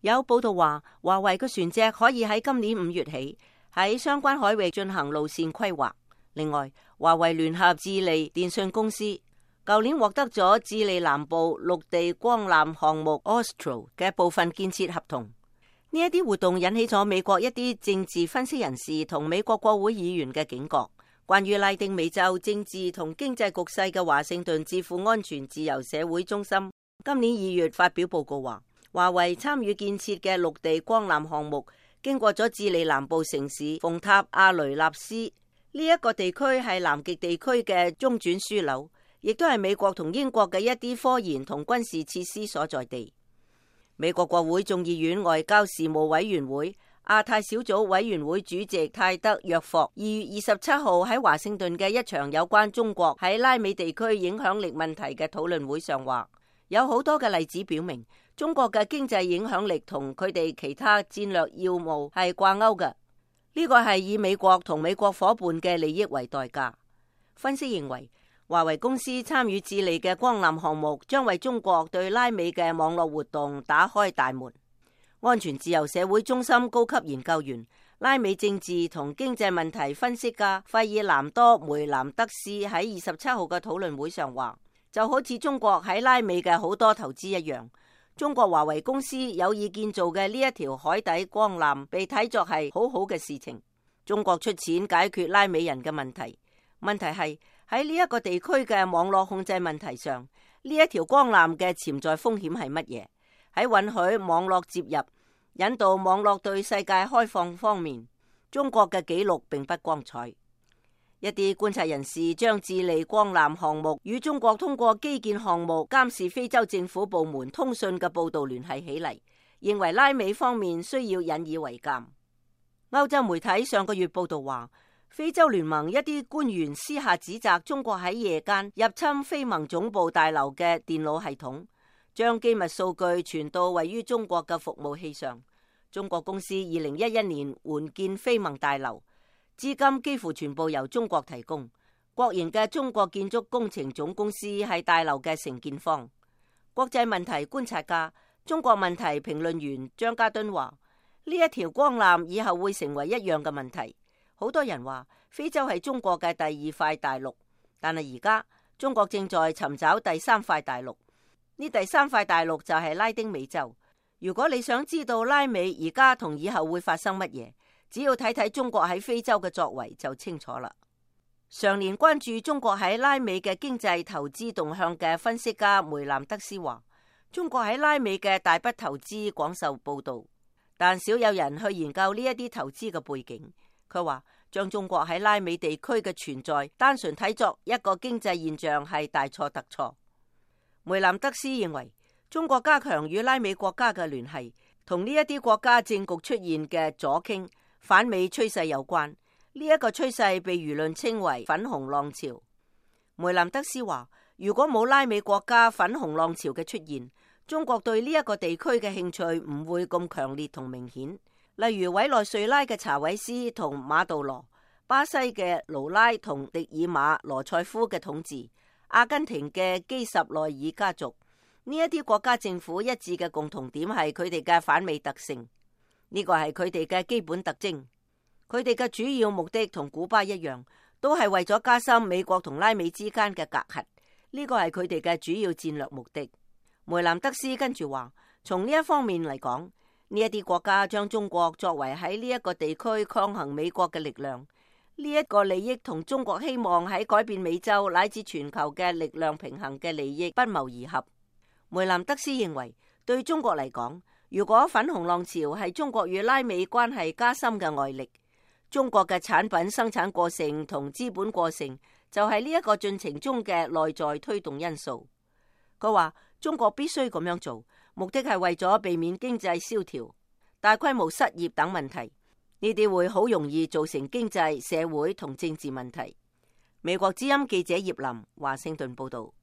有報道話，華為嘅船隻可以喺今年5月起喺相關海域進行路線規劃。另外，華為聯合智利電信公司舊年獲得咗智利南部陸地光纜項目 Austral 嘅部分建設合同。呢一啲活動引起咗美國一啲政治分析人士同美國國會議員嘅警覺。關於拉丁美洲政治同經濟局勢嘅華盛頓智庫安全自由社會中心今年2月發表報告話，華為參與建設嘅陸地光纜項目經過咗智利南部城市馮塔阿雷納斯，呢一個地區係南極地區嘅中轉樞紐，亦都係美國同英國嘅一啲科研同軍事設施所在地。美國國會眾議院外交事務委員會亞太小組委員會主席泰德約霍2月27號喺華盛頓嘅一場有關中國喺拉美地區影響力問題嘅討論會上話，有好多嘅例子表明中國嘅經濟影響力同佢哋其他戰略要務係掛鈎嘅。呢個係以美國同美國夥伴嘅利益為代價。分析認為，華為公司參與智利嘅光纜項目將為中國對拉美嘅網絡活動打開大門。安全自由社會中心高級研究員、拉美政治同經濟問題分析家費爾南多梅南德斯喺27號嘅討論會上話，就好似中國喺拉美嘅好多投資一樣，中國華為公司有意建造嘅呢一條海底光纜被睇作係好好嘅事情。中國出錢解決拉美人嘅問題，問題係喺呢一個地區嘅網絡控制問題上，呢一條光纜嘅潛在風險係乜嘢？喺允許網絡接入、引導網絡對世界開放方面，中國嘅記錄並不光彩。一啲觀察人士將智利光纜項目與中國通過基建項目監視非洲政府部門通訊嘅報道聯繫起嚟，認為拉美方面需要引以為鑑。歐洲媒體上個月報道話，非洲聯盟一啲官員私下指責中國喺夜間入侵非盟總部大樓嘅電腦系統，將機密數據傳到位於中國嘅服務器上。中國公司2011年援建非盟大樓，資金幾乎全部由中國提供。國營嘅中國建築工程總公司係大樓嘅承建方。國際問題觀察家、中國問題評論員張家敦話，呢一條光纜以後會成為一樣嘅問題。好多人話非洲係中國嘅第2塊大陸，但係而家中國正在尋找第3塊大陸。呢第3塊大陸就係拉丁美洲。如果你想知道拉美而家同以後會發生乜嘢，只要睇睇中國喺非洲嘅作為就清楚啦。常年關注中國喺拉美嘅經濟投資動向嘅分析家梅南德斯話，中國喺拉美嘅大筆投資廣受報道，但少有人去研究呢一啲投資嘅背景。佢話將中國喺拉美地區嘅存在單純睇作一個經濟現象係大錯特錯。梅南德斯認為，中國加強與拉美國家嘅聯繫，同呢一啲國家政局出現嘅左傾反美趨勢有關。呢一個趨勢被輿論稱為粉紅浪潮。梅南德斯話，如果冇拉美國家粉紅浪潮嘅出現，中國對呢一個地區嘅興趣唔會咁強烈同明顯。例如委內瑞拉嘅查韋斯同馬杜羅、巴西嘅盧拉同迪爾馬羅塞夫嘅統治、阿根廷嘅基什內爾家族，呢一啲國家政府一致嘅共同點係佢哋嘅反美特性，呢個係佢哋嘅基本特徵。佢哋嘅主要目的同古巴一樣，都係為咗加深美國同拉美之間嘅隔閡，呢個係佢哋嘅主要戰略目的。梅南德斯跟住話，從呢一方面嚟講，呢一啲國家將中國作為喺呢一個地區抗衡美國嘅力量，呢一個利益同中國希望喺改變美洲乃至全球嘅力量平衡嘅利益不謀而合。梅南德斯認為，對中國嚟講，如果粉紅浪潮係中國與拉美關係加深嘅外力，中國嘅產品生產過剩同資本過剩就係呢一個進程中嘅內在推動因素。佢話中國必須咁樣做，目的係為咗避免經濟蕭條、大規模失業等問題，呢啲會好容易造成經濟、社會同政治問題。美國之音記者葉林華盛頓報道。